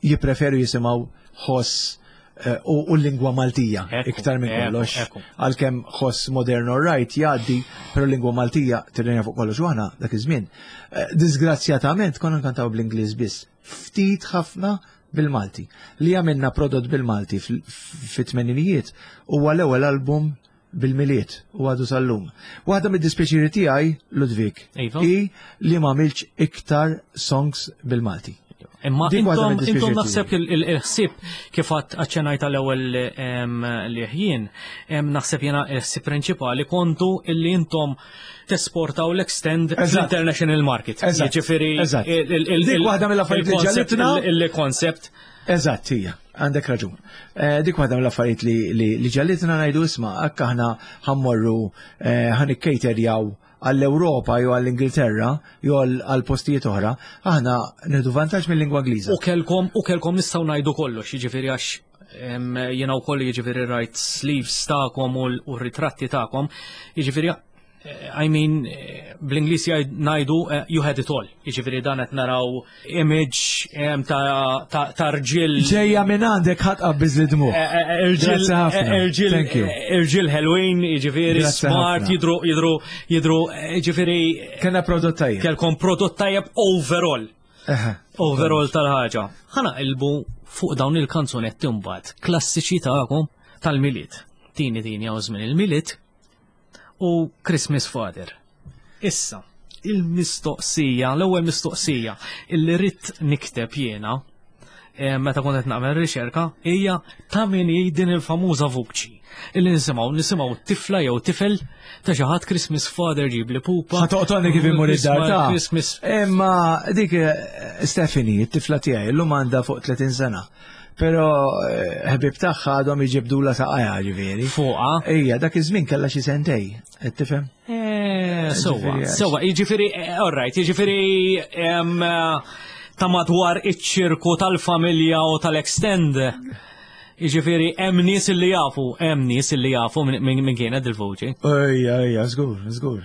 S3: jippreferu jisimgħu ħoss eh, u u l-lingwa Maltija
S2: Ekku,
S3: iktar minn
S2: ekku,
S3: kollox.
S2: ekku.
S3: Għalkemm ħoss modern all right jgħaddi, però l-lingwa Maltija tirrenja fuq kollox u aħna dak iż-żmien, eh, Disgrazzjatament konna nkantaw bl-Ingliż biss. Ftit ħafna bil-Malti. Li għamilna prodott bil-Malti fit-tmeninijiet huwa l-ewwel album bil-Milied u għadu sal-lum. Waħda mid-dispjaċiri tiegħi, Ludwig,
S2: Iva.
S3: i li ma għamilx iktar songs bil-Malti.
S2: Imma
S3: Dik waħda
S2: intom
S3: mid-dispjaċiri
S2: intom naħseb
S3: tiegħi.
S2: il- il- il-ħsieb kif għat aċċenajt tal-ewwel em, li ħjien, em, naħseb jena il-ħsieb prinċipali kontu illi intom tesportaw l-Extend
S3: Eżatt.
S2: fl-international market.
S3: Eżatt.
S2: Jiġifieri
S3: Eżatt.
S2: il- il- il-
S3: Dik
S2: il-
S3: waħda mill-affarijiet li
S2: il-concept-
S3: ġalitna.
S2: il- Il-concept.
S3: Eżatt, hija, għandek raġun. Eh, dik waħda mill-affarijiet li, li, li ġalitna ngħidu isma' hekk aħna ħa mmorru eh, ħa nikkejterjaw għall-Ewropa jew għall-Ingilterra jew għall għall postijiet oħra, aħna nieħdu vantaġġ mill-lingwa Ingliża.
S2: U kelkom, u kelkom nistgħu ngħidu kollox, jiġifieri għax em, jiena wkoll jiġifieri rajt sleeves tagħkom u l- u r-ritratti tagħkom, jiġifieri eh, I mean, eh, bl-Ingliż jgħid- ngħidu eh, you had it all. Jiġifieri dan qed naraw image em, ta' ta' ta' rġiel
S3: Ġejja minn għandek ħadd qabbiż li dmuħ.
S2: eh, eh, irġiel
S3: Grazzi ħafna.
S2: eh, irġiel
S3: Thank you.
S2: eh, irġiel ħelwin, jiġifieri
S3: Grazzi
S2: smart,
S3: ħafna.
S2: jidru jidru jidru eh, jiġifieri
S3: Kellna prodott tajjeb.
S2: kelkom prodott tajjeb overall
S3: Eħe.
S2: overall tal-ħaġa. Ħa naqilbu fuq dawn il-kanzunetti mbagħad klassiċi tagħkom tal-Milied. Tini Tini Hawn Żmien il-Milied u Christmas Father. Issa, il-mistoqsija, l-ewwel mistoqsija illi rrid nikteb jiena eh, meta kont qed nagħmel riċerka hija ta' min hi din il-famuża vuċi illi nisimgħu nisimgħu tifla jew tifel ta' xi ħadd "Christmas Father ġib li pupa".
S3: Ħa toqtolni kif immur id-dar ta'
S2: Christmas.
S3: Imma dik eh, Stephanie, it-tifla tiegħi, illum għandha fuq tletin sena. Però eh, ħbib tagħha għadhom iġibdula saqajha, ġifieri.
S2: Fuqa.
S3: Ejja, dak iż-żmien kellha xi sentej, qed tifhem?
S2: Eh, Sewa,
S3: Ġifieri,
S2: sewa, jiġifieri, eh, all right, jiġifieri em, eh, ta' madwar iċ-ċirku tal-familja u tal-Extend. Jiġifieri hemm nies illi jafu, hemm nies illi jafu minn min, min kienet il-voċi.
S3: Ejja, ejja, żgur, żgur.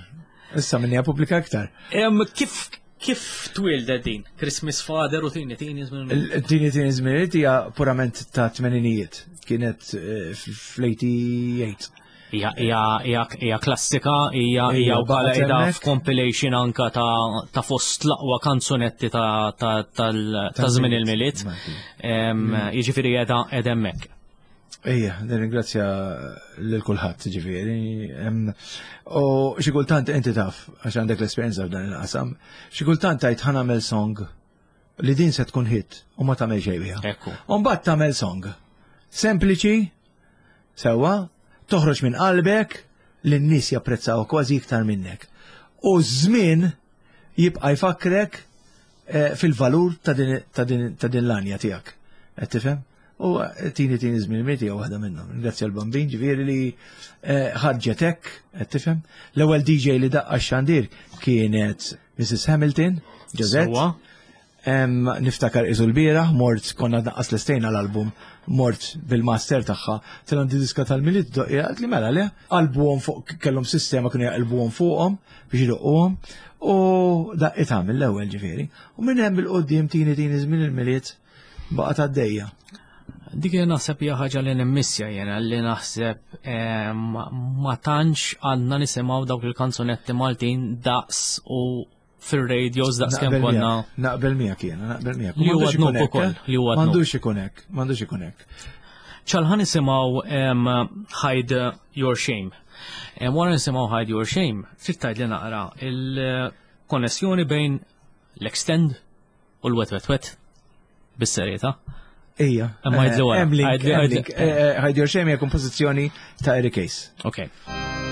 S3: Issa minni pubblika iktar.
S2: Em, Kif kif twildet din? Christmas Father u Tini Tini Żmien-
S3: Tini Tini Żmien hija purament ta' tmeninijiet. Kienet eh, fl-eighty-eight.
S2: Hija hija hija hija klassika, hija hija
S3: Ija,
S2: wkoll
S3: baqgħet
S2: qiegħda
S3: hemmhekk.
S2: f'compilation anka ta' ta' fost l-aqwa kanzunetti ta' ta' tal- ta' żmien il-Milied.
S3: Malti.
S2: Em, Jiġifieri qiegħda qiegħda hemmhekk.
S3: Ejja, nirringrazzja lil kulħadd, ġifieri. Em, U xi kultant inti taf, għax għandek l-esperjenza f'dan il-qasam, xi kultant tgħid ħa nagħmel song li din se tkun hit u ma tagħmel xejn biha.
S2: Ekku.
S3: U mbagħad tagħmel song Sempliċi, sewwa, toħroġ minn qalbek, li n-nies japprezzaw kważi iktar minnek. U żmien jibqa' jfakkrek eh, fil-valur ta' din ta' din ta' din l-għanja tiegħek. Qed tifhem? U eh, tini tini żmien mieti hija waħda minnhom. Grazzi għall-Bambin ġifieri li eh, ħarġet hekk, qed tifhem? L-ewwel D J li daqqa x-xandir kienet Missus Hamilton, Josette.
S2: Sewwa.
S3: Em, niftakar iżu l-bieraħ, mort konna naqqas l-istejna l-album, mort bil-master tagħha, til diska tal-Milied, għalt li mela le, qalbuhom fuq, kellhom sistema kienu jaqilbuhom fuqhom biex idoqquhom, u daqqitha mill-ewwel ġifieri. U minn hemm bil-qudiem tini tini żmien il-Milied baqgħet għaddejja.
S2: Dik li naħseb hija ħaġa li nimmissja jena, li naħseb eh, ma ma tantx għandna nisimgħu dawk il-kanzunetti Maltin daqs u fir-radios daqs kemm
S3: Naqbel
S2: konna.
S3: miegħek, Naqbel miegħek jiena, naqbel miegħek.
S2: Li huwa
S3: M'għandux ikun
S2: dnub
S3: hekk,
S2: ukoll,
S3: eh?
S2: li huwa dnub.
S3: M'għandux ikun hekk, m'għandux ikun hekk.
S2: ċal ħa nisimgħu em, Hide Your Shame. Em, Wara nisimgħu Hide Your Shame, trid tgħid li naqra il-konnessjoni bejn l-Extend u l-Wet Wet Wet bis-serjetà.
S3: Ija.
S2: Imma għidli wara.
S3: Hemm link,
S2: Għidli-
S3: hemm
S2: għidli-
S3: link. Eh, eh, Hide Your Shame hija kompożizzjoni ta' Eric Ace.
S2: Ok.
S4: Thank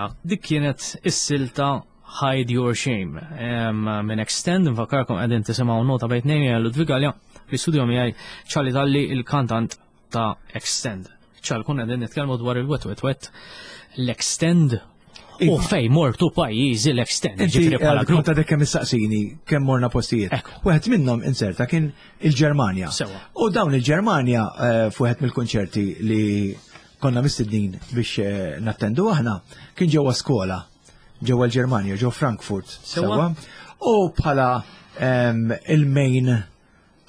S2: Mela, dik kienet is-silta Hide Your Shame minn Extend, nfakkarkom qegħdin tisimgħu Nota Bejn Tnejn, jiena Ludwig Galea, fl-istudio miegħi Charlie Dalli, il-kantant ta' Extend. Ċal, kun qegħdin nitkellmu dwar il-Wet Wet Wet, l-Extend u fej mortu pajjiżi l-Extend.
S3: Ġifieri bħala grupp. Kont għadek kemm issaqsini kemm morna postijiet. Wieħed minnhom inserta kien il-Ġermanja. U dawn il-Ġermanja f'wieħed mill-kunċerti li konna mistednin biex nattendu aħna kien ġewwa skola ġewwa l-Ġermanja, ġew Frankfurt. Sewwa. U bħala il-main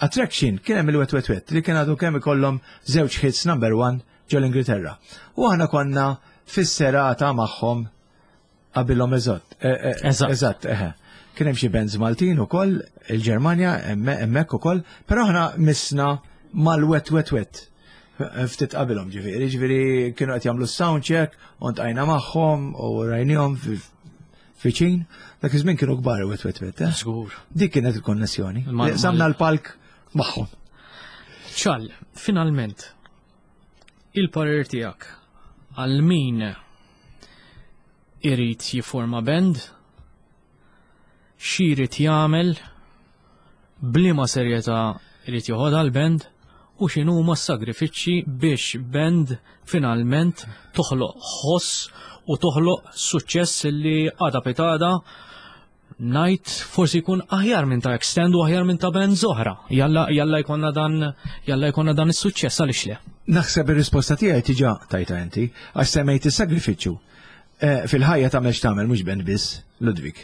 S3: attraction kien hemm il-Wet Wet Wet li kien għadu kemm ikollhom żewġ hits number one ġew l-Ingilterra. U aħna konna fis-serata magħhom qabilhom eżatt. Eżatt, eħe. Kien hemm xi bands Maltin ukoll, il-Ġermanja hemmhekk ukoll, però aħna missna mal-Wet Wet Wet. Ftit qabilhom ġifieri, ġifieri kienu qed jagħmlu sound check, u ntqajna magħhom u rajnihom fiċin. Dak iż-żmien kienu kbar Wet Wet Wet.
S2: Żgur.
S3: Dik kienet il-konnessjoni. Samna l-palk magħhom.
S2: Ċal, finalment, il-parir tiegħek għal min irid jiforma band, xi jrid jagħmel, bliema serjetà irid joħodha l-band, u x'inhuma s-sagrifiċċji biex band finalment toħloq ħoss u toħloq suċċess li għada pitada ngħid forsi jkun aħjar minn ta' Extend u aħjar minn ta' band oħra. Jalla jalla jkollna dan jalla jkollna dan is-suċċess, għaliex le?
S3: Naħseb ir-risposta tiegħi diġà tajta inti, għax semmejt is-sagrifiċċju. Fil-ħajja tagħmel x'tagħmel mhux band biss, Ludwig.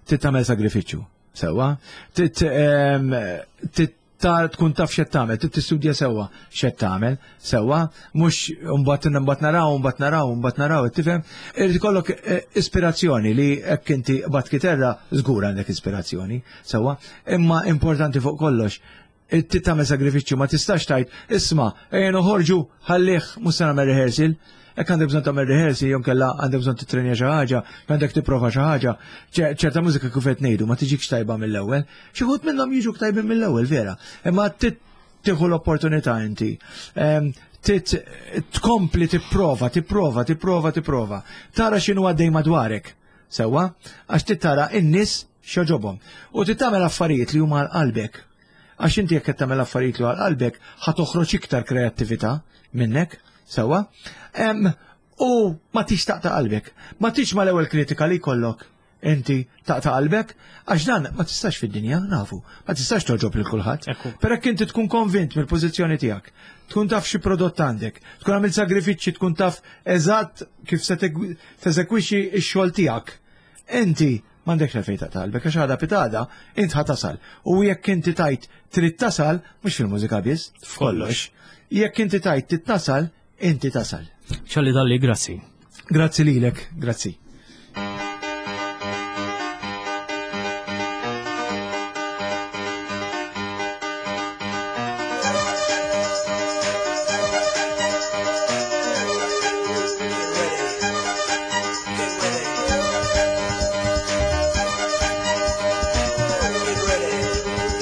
S3: Trid tagħmel sagrifiċċju, sewwa. Trid tkun taf x'qed tagħmel, trid tistudja sewwa x'qed tagħmel, sewwa, mhux mbagħad mbagħad naraw, mbagħad naraw, mbagħad naraw, tifhem? Irid ikollok ispirazzjoni li hekk inti bat kiterra żgur għandek ispirazzjoni, sewwa, imma importanti fuq kollox trid tagħmel sagrifiċċju, ma tistax tgħid isma' ejja noħorġu ħallih mhux se nagħmel rehearsal. Hekk għandek bżonn tagħmel rehearsal, jew kellha għandek bżonn titrenja xi ħaġa, għandek tipprova xi ħaġa. Ċerta mużika kif qed ngħidu ma tiġikx tajba mill-ewwel. Xi wħud minnhom jiġuk tajbin mill-ewwel vera, imma tieħu l-opportunità inti. Tkompli tipprova, tipprova, tipprova, tipprova. Tara x'inhu għaddej madwarek, sewwa, għax trid tara n-nies x'jogħġobhom. U trid tagħmel affarijiet li huma għal qalbek. Għax inti jekk qed tagħmel affarijiet li għal qalbek ħa toħroġ iktar kreattività minnek. Sewwa, u ma tix taqta' qalbek, ma tix mal-ewwel kritika li jkollok inti taqta' qalbek, għax dan ma tistax fid-dinja, nafu, ma tistax toġob lil kulħadd. Però jekk inti tkun konvint mill-pożizzjoni tiegħek, tkun taf xi prodott għandek, tkun għamilt sagrifiċċji, tkun taf eżatt kif se teżekwixxi x-xogħol tiegħek, inti m'għandekx għalfejn taqta' qalbek, għax għada pitada int ħa tasal. U jekk inti tajt trid tasal, mhux fil-mużika biss, f'kollox, jekk inti tajt trid tasal, inti tasal.
S2: Charlie Dalli, grazzi.
S3: Grazzi lilek, grazzi.
S4: Get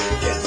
S4: ready.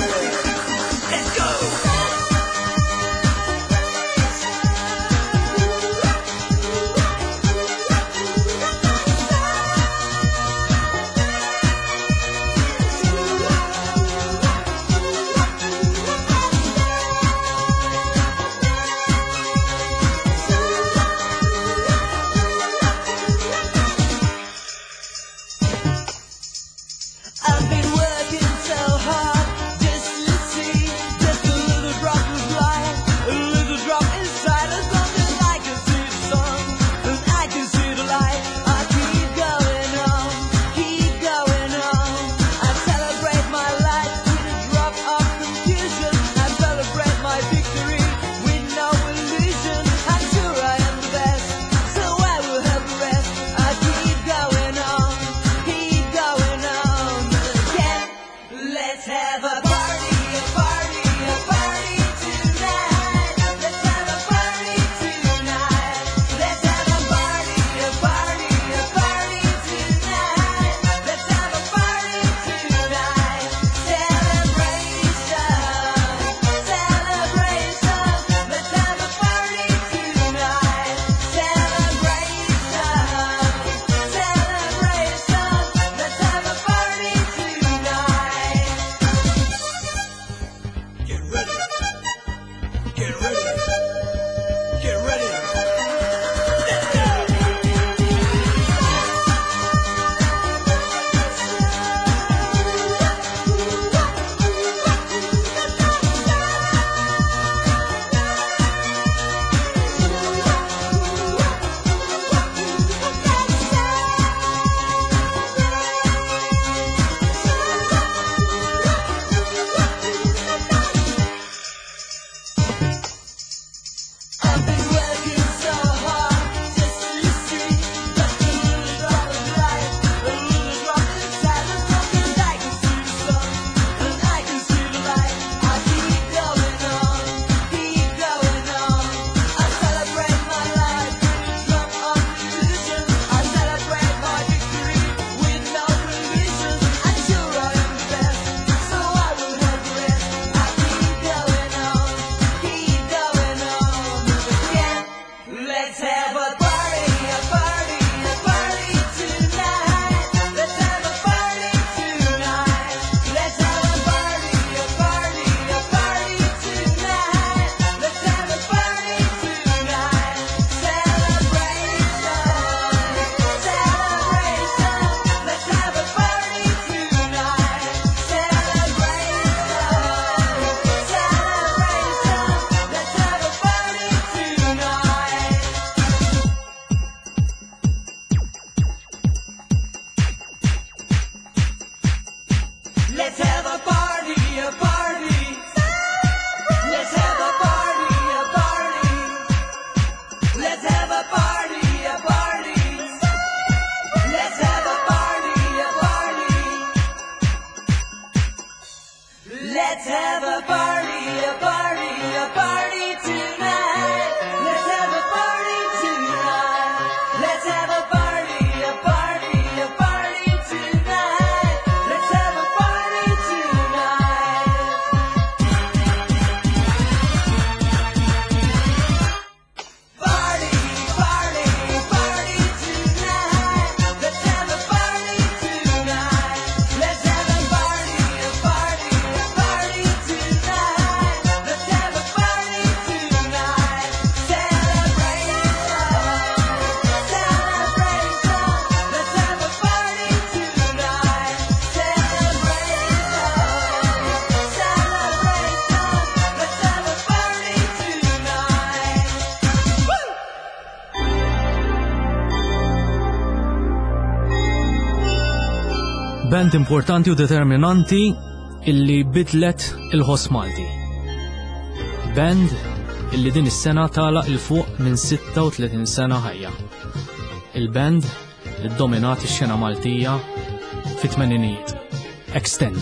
S4: Let's have a party, a party, a party tonight. Let's have a party tonight. Let's have a party, a party, a party tonight. Let's have a party tonight. Party, party, party tonight. Let's have a party tonight. Let's have a party, a party, a party tonight. Let's have a party tonight. Celebration, celebration. Let's have a party tonight. Celebration, celebration. Let's have a party tonight. Woo!
S2: Band importanti u determinanti illi bidlet il-ħoss Malti. Band illi din is-sena tala il fuq minn sitta u tletin sena ħajja. Il-band li dominat ix-xena Maltija fit-tmeninijiet. Extend.